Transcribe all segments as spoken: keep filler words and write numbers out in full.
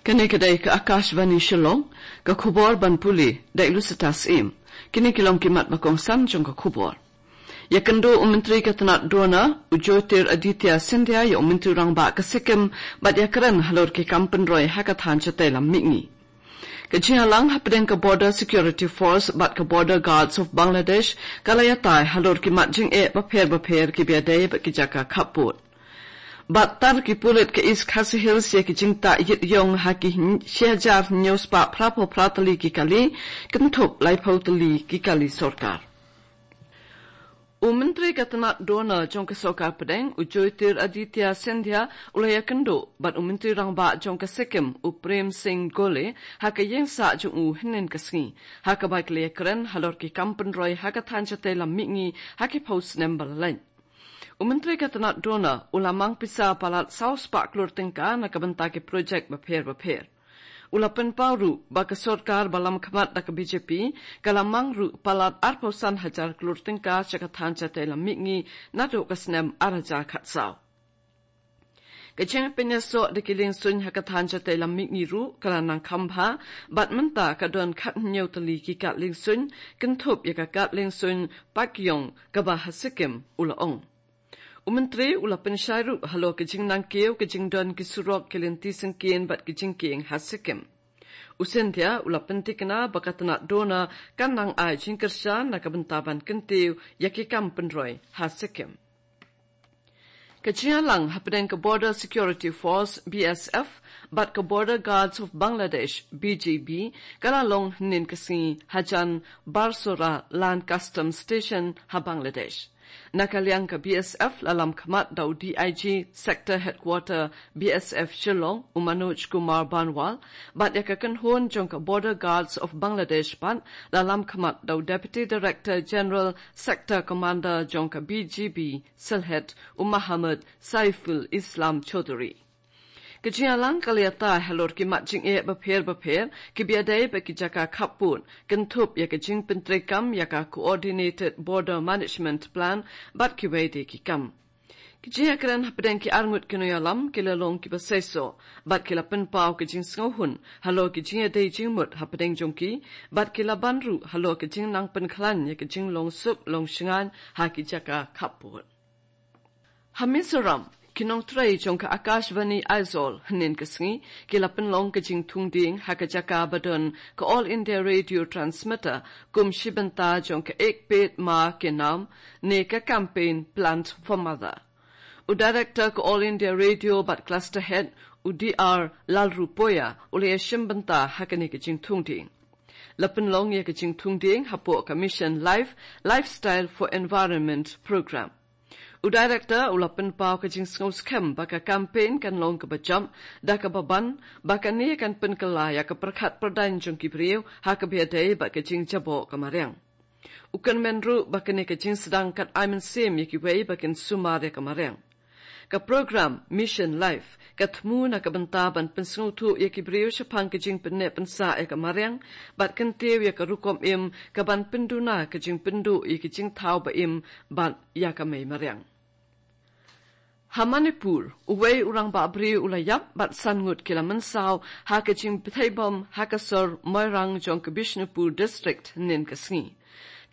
Kane ka dei ka Akashvani Shillong, ka khubor ban pule da i Lusitas Im. Kine ki long ki mat ba kongsan jong ka khubor. Ïakynduh u Myntri ka tnat DoNER, u Jyotiraditya Scindia, ïa u Myntri Rangbah ka Sikkim, bad ïakren halor ki kam pynroi ha ka thaiñ shatei lam mihngi. Ka jingïalang hapdeng ka Border Security Force bad ka Border Guards of Bangladesh ka la ïatai halor ki mat jingeh bapher bapher kiba ïadei bad ki jaka khappud. Bad tar ki pulit ka East Khasi Hills ïa ki jingtah ïit ïong ha ki hyn-, shi hajar hynñiew spah phraphew phra tylli ki kali, kynthup laiphew tylli ki kali sorkar. U Myntri ka tnat DoNER jong ka Sorkar Pdeng, u Jyotiraditya Scindia, u la ïakynduh bad u Myntri Rangbah jong ka Sikkim, u Prem Singh Gole, ha ka ïingsah jong u hynnin ka sngi, ha kaba ki la ïakren halor ki kam pynroi ha ka thaiñ shatei lam mihngi ha ki phew snem ba la leit. U Myntri ka tnat DoNER u la mang pisa palat saw spah klur tyngka na ka bynta ki projek bapher bapher. U la pynpaw ruh ba ka sorkar ba lamkhmat da ka B J P ka la mang ruh palat arphew san hajar klur tyngka sha ka thaiñ shatei lam mihngi naduh ka snem ar hajar khatsaw. Ka jingpynïasoh da ki liengsuiñ ha ka thaiñ shatei lam mihngi ruh ka la nang kham bha, bad mynta ka don khathynñiew tylli ki kad liengsuiñ, kynthup ïa ka kad liengsuiñ Pakyong kaba ha Sikkim, u la ong. U Myntri u la pynshai ruh halor ka jingnangkiew ka jingdon ki surok, ki lynti syngkien bad ki jingkieng ha Sikkim. U Scindia u la pyntikna ba ka tnat DoNER kan nang ai jingkyrshan na ka bynta ban kyntiew ïa ki kam pynroi ha Sikkim. Ka jingïalang hapdeng ka Border Security Force, B S F, bad ka Border Guards of Bangladesh, B G B, ka la long hynnin ka sngi hajan Barsora Land Customs Station ha Bangladesh. Na ka liang ka B S F la lamkhmat da u D I G Sector Headquarter B S F Shillong, u Manoj Kumar Banwal, bad ïa ka kynhun jong ka Border Guards of Bangladesh pat la lamkhmat da u Deputy Director General Sector Commander jong ka B G B Sylhet, u Muhammad Saiful Islam Chaudhry. Ka jingïalang ka la ïatai halor ki mat jingeh bapher bapher kiba ïadei bad ki jaka khappud, kynthup ïa ka jingpyntreikam ïa ka Coordinated Border Management Plan bad kiwei de ki kam. Ki jingïakren hapdeng ki arngut ki nongïalam ki la long kiba seisoh, bad ki la pynpaw ka jingsngewhun halor ki jingïadei jingmut hapdeng jong ki, bad ki la ban ruh halor ka jingnang pynkhlaiñ ïa ka jinglong suk long shngaiñ ha ki jaka khappud. Ha Mizoram, ki nongtrei jong ka Akashvani Aizawl hynnin ka sngi ki la pynlong ka jingthung dieng ha ka jaka ba don ka All India Radio Transmitter kum shi bynta jong ka Ek Ped Maa Ke Naam ne ka campaign Plant for Mother. U Director ka All India Radio bad Cluster Head, u D R Lalrupoya, u la ïashim bynta ha kane ka jingthung dieng. La pynlong ïa ka jingthung dieng hapoh ka Mission Life, Lifestyle for Environment Program. U Director u la pynpaw ka jingsngewskhem ba ka campaign kan long kaba jop, da kaba ban ba kane kan pynkylla ïa ka pyrkhat pyrdaiñ jong ki briew ha kaba ïadei bad ka jingjaboh ka mariang. U kyrmen ruh ba kane ka jingsdang kan ai mynsiem ïa kiwei ba kin sumar ïa ka mariang. Ka program Mission Life ka thmu na ka bynta ban pynsngewthuh ïa ki briew shaphang ka jingpynneh pynsah ïa ka mariang, bad kyntiew ïa ka rukom im ka ban pynduna ka jingpynduh ïa ki jingthaw ba im bad ïa ka mei mariang. Ha Manipur, uwei u rangbah briew u la ïap bad san ngut ki la mynsaw ha ka jingbthei bom ha ka sor Moirang jong ka Bishnupur District hynnin ka sngi.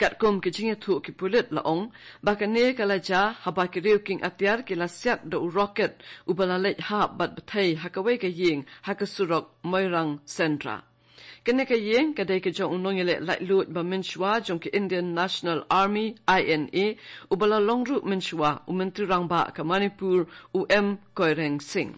Katkum ka jingïathuh ki pulit la ong ba kane ka la jia haba ki riew kieng atiar ki la siat da u rocket uba la leit hap bad bthei ha kawei ka ïing ha ka surok Moirang Sendra. Kane ka ïing ka dei ka jong u nongïaleh laitluid ba mynshuwa jong ka Indian National Army, I N A, uba la long ruh mynshuwa u Myntri Rangbah ka Manipur, u M Koireng Singh.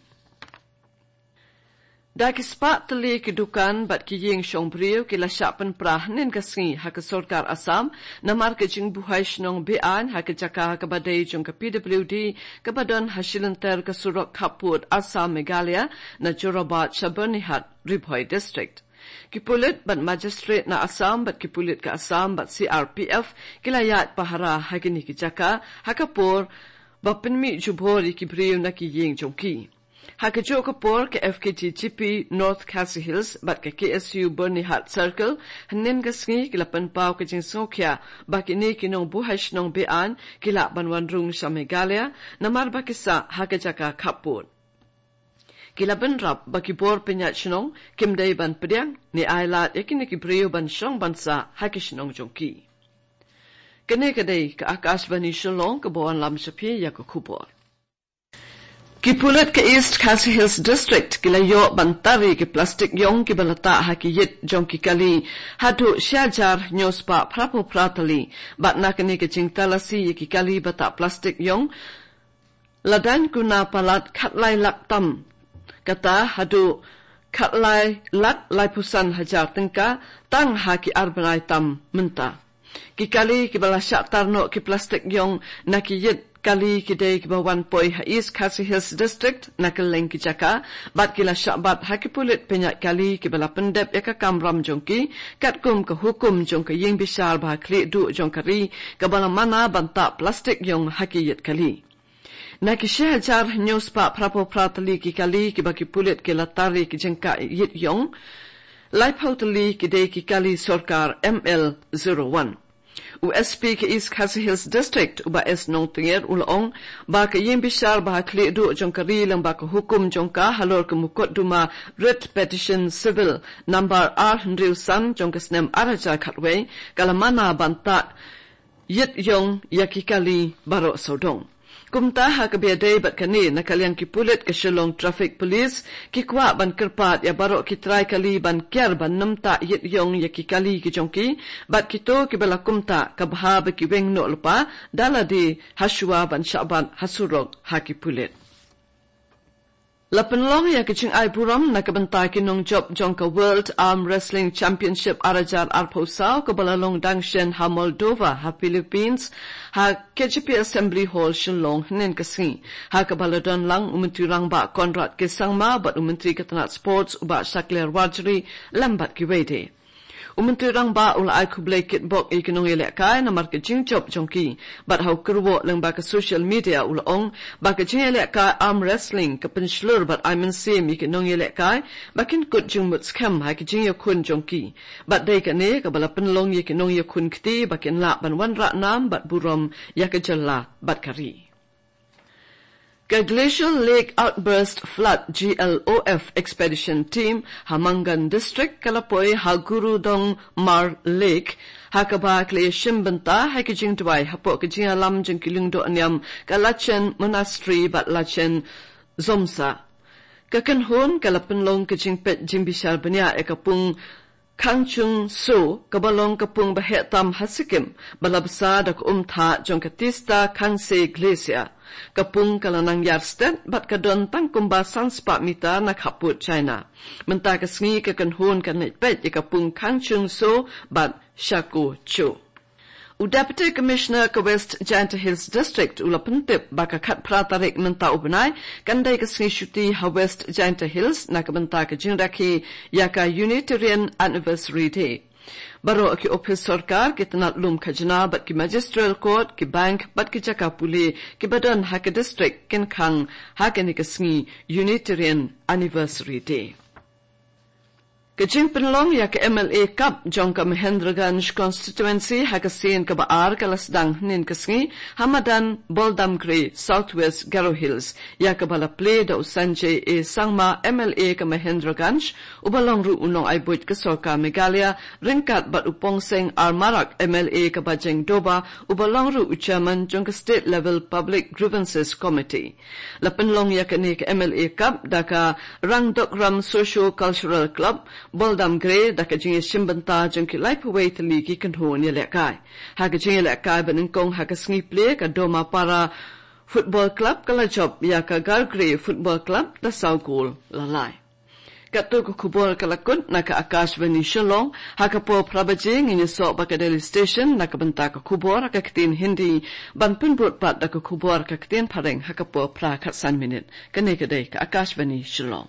Da ki spah tylli ki dukan bad ki ïing shong briew ki la shah pynpra hynnin ka sngi ha ka sorkar Assam, namar ka jingbuhai shnong be-aiñ ha ka jaka kaba dei jong ka P W D, kaba don ha shilynter ka surok khappud Assam Meghalaya, na Jorabat sha Byrnihat, Ri Bhoi District. Ki pulit bad magistrate na Assam bad ki pulit ka Assam bad C R P F ki la ïaid pahara ha kine ki jaka ha ka por ba pynmih jubor ïa ki briew na ki ïing jong ki. Ha kajuh ka por ka F K T G P North Khasi Hills bad ka K S U Byrnihat Circle hynnin ka sngi ki la pynpaw ka jingsngewkhia ba kine ki nongbuhai shnong be-aiñ ki lah ban wan rung sha Meghalaya namar ba ki sah ha ka jaka khappud. Ki la bynrap ba ki bor pynïaid shnong kim dei ban pdiang ne ai lad ïa kine ki briew ban shong ban sah ha ki shnong jong ki. Kane ka dei ka Akashvani Shillong kaba wanlam sha phi ïa ka khubor. Ki pulit ka East Khasi Hills District ki la ïoh ban tar ïa ki plastik ïong kiba la tah ha ki ïit jong ki kali haduh shi hajar hynñiew spah phra phew phra tylli. Bad na kane ka jingtalasi ïa ki kali ba tah plastik ïong, la daiñ kuna palat khatlai lak tam kata haduh khatlai lak laiphew san hajar tyngka tang ha ki ar bnai tam mynta. Ki kali kiba la shah tar noh ki plastik ïong na ki ïit kali ki dei kiba wan poi ha East Khasi Hills District na kylleng ki jaka, bad ki la shah bat ha ki pulit pynïaid kali kiba la pyndep ïa ka kamram jong ki katkum ka hukum jong ka ïing bishar ba ha khlieh duh jong ka ri kaba la mana ban tah plastik ïong ha ki ïit kali. Na ki shi hajar hynñiew spah phra phew phra tylli ki kali kiba ki pulit ki la tar ïa ki jingkah ïit ïong, laiphew tylli ki dei ki kali sorkar M L zero one. U S P ka East Khasi Hills District, u Bah S Nongtnger, u la ong ba ka ïing bishar ba ha khlieh duh jong ka ri lyngba ka hukum jong ka halor ka mukotduma Writ Petition Civil number ar hynriew san jong ka snem ar hajar khatwei ka la mana ban tah ïit ïong ïa ki kali baroh sawdong. Kumta ha kaba ïadei bad kane, na ka liang ki pulit ka Shillong Traffic Police ki kwah ban kyrpad ïa baroh ki trai kali ban kiar ban nym tah ïit ïong ïa ki kali ki jong ki, bad kito kiba la kumta ka bha ba ki weng noh lypa da lade ha shuwa ban shah bat ha surok ha ki pulit. La pynlong ïa ka jingai burom na ka bynta ki nongjop jong ka World Arm Wrestling Championship ar hajar arphew saw kaba la long dang shen ha Moldova ha Philippines, ha K J P Assembly Hall Shillong hynnin ka sngi, ha kaba la don lang u Myntri Rangbah Conrad K Sangma bad u Myntri ka tnat Sports u Bah Shakliar Warjri lem bad kiwei de. U Myntri Rangbah u la ai khublei kitbok ïa ki nongïalehkai namar ka jingjop jong ki, bad ha u kyrwoh lyngba ka social media u la ong ba ka jingïalehkai arm wrestling ka pynshlur bad ai mynsiem ïa ki nongïalehkai ba kin kut jingmut skhem ha ki jingïakhun jong ki. Bad dei kane kaba la pynlong ïa ki nongïakhun kti ba kin lah ban wanrah nam bad burom ïa ka jylla bad ka ri. Ka Glacial Lake Outburst Flood, G L O F, Expedition Team ha Mangan District ka la poi ha Gurudongmar Lake, ha kaba ka la ïashim bynta ha ki jingduwai hapoh ka jingïalam jong ki lyngdoh niam ka Lachen Monastery bad Lachen Zomsa. Ka kynhun ka la pynlong ka jingpeit jingbishar bniah ïa ka pung Khangchung So, kaba long ka pung ba heh tam ha Sikkim, ba la bsa da ka umthah jong ka Tista Khangse Glacier. Ka pung ka la nang ïar stet bad ka don tang kumba san spah mitar na khappud China. Mynta ka sngi ka kynhun kan leit peit ïa ka pung Khangchung So bad Shako Cho. U Deputy Commissioner ka West Jaintia Hills District u la pyntip ba ka khatphra tarik mynta u bnai kan dei ka sngi shuti ha West Jaintia Hills na ka bynta ka jingrakhe ïa ka Unitarian Anniversary Day. Baroh ki ophis sorkar, ki tnat lum khajna bad ki Magisterial Court, ki bank bad ki jaka pule kiba don ha ka district kin khang ha kane ka sngi Unitarian Anniversary Day. Ka jingpynlong ïa ka M L A Cup jong ka Mahendraganj Constituency ha ka sien kaba ar ka la sdang hynnin ka sngi ha madan Boldamgre, South West Garo Hills, ïa kaba la plie da u Sanjay A Sangma, M L A ka Mahendraganj, uba long ruh u nongai buit ka sorkar Meghalaya, ryngkat bad u Pongseng R Marak, M L A ka Bajeng Doba, uba long ruh u chairman jong ka State Level Public Grievances Committee. La pynlong ïa kane ka M L A Cup da ka Rangdokram Socio Cultural Club, Boldamgre, da ka jingïashim bynta jong ki laiphew wei tylli ki kynhun ïalehkai. Ha ka jingïalehkai banyngkong ha ka sngi plie ka Domapara Football Club ka la jop ïa ka Gargre Football Club da saw gol la lai. Katto ka khubor ka la kut na ka Akashvani Shillong, ha ka por phra baje ngin ïasoh bad ka Delhi Station na ka bynta ka khubor ha ka ktien Hindi, ban pynbud pat da ka khubor ha ka ktien Phareng ha ka por phra khatsan minit. Kane ka dei ka Akashvani Shillong.